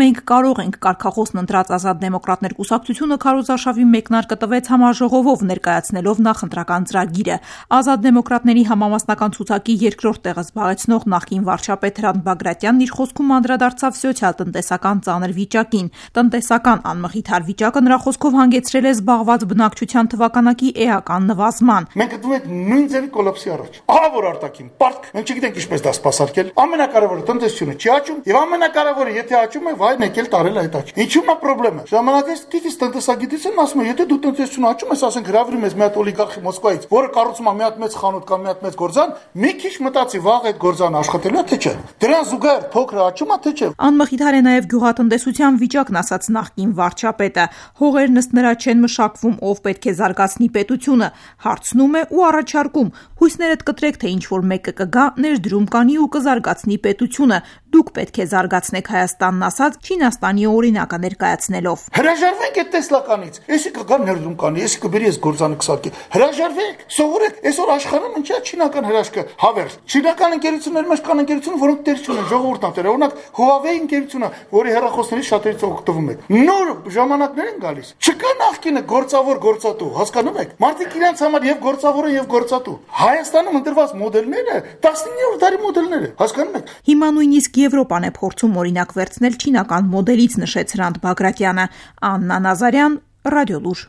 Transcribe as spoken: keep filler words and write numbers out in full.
Մենք կարող ենք կարգախոսն ընտրած Ազատ դեմոկրատներ կուսակցությունը քարոզարշավի մեկնարկը տվեց համաժողովով ներկայացնելով նախընտրական ծրագիրը։ Ազատ դեմոկրատների համամասնական ցուցակի երկրորդ տեղը զբաղեցնող նախկին վարչապետ Հրանտ Բագրատյանն իր խոսքում անդրադարձավ սոցիալ-տնտեսական ծանր վիճակին։ Տնտեսական անմխիթար վիճակը նրա խոսքով հանգեցրել է զբաղված բնակչության թվականակի էական նվազման։ Մենք գտնվում ենք նույն ձևի կոլապսի առաջ։ Ահա որ արտաքին պարտք, մենք չգիտենք ինչպես դա սպասարկել։ Ամենակարևորը տնտեսությունը չի աճում, եւ ամենակարևորը եթե աճում է, վայ եկել տարել այդ աճ։ Ինչու՞ է խնդրեմը։ Ժամանակից դիտից տնտեսագիտությունն ասում է, եթե դու տնտեսություն աճում ես, ասենք հրավիրում ես մի հատ օլիգարխի Մոսկվայից, որը կառուցում է մի հատ մեծ խանութ կամ մի հատ մեծ գործան, մի քիչ մտածի վաղ այդ գործանը աշխատելու է թե չէ։ Դրան զուգահեռ փոքրը աճում է թե չէ։ Անմխիթար է նաև գյուղատնտեսության վիճակն, ասաց նախկին վարչապետը։ Հողերն ըստ նրա չեն մշակվում, ով պետք է զարգացնի պետությունը, հարցնում է ու առաջարկում։ Հույսներդ կտրեք, թե ինչ որ մեկը կգա, ներդրում կանի ու կզարգացնի պետությունը։ Դուք պետք է զարգացնեք Հայաստանն, ասաց Չինաստանի օրինակը ներկայացնելով։ Հրաժարվենք այդ տեսլականից։ Էսի կգա ներդրում կանի, էսի կբերի այս գործանը կսարքի։ Հրաժարվենք, սովորեք, այսօր աշխարհում ինչա չինական հրաշքը հավերժ։ Չինական ընկերություններ մեջ կան ընկերություններ, որոնք դեր չունեն, ժողովուրդն է, օրինակ Huawei ընկերությունը, որի հեռախոսներից շատերից օգտվում եք։ Նոր ժամանակներ են գալիս։ Չկա նախկինը գործավոր գործատու, հասկանում եք։ Մարդիկ իրենց համար եւ գործավոր են եւ գործատու։ Հայաստանում ընտրված մոդելները տասնիններորդ դարի մոդելներ են, հասկանում եք։ Հիմա նույնիսկ Եվրոպան է փորձում օրինակ վերցնել չինական մոդելից, նշեց Հրանտ Բագրատյանը։ Աննա Նազարյան, Ռադիոլուր։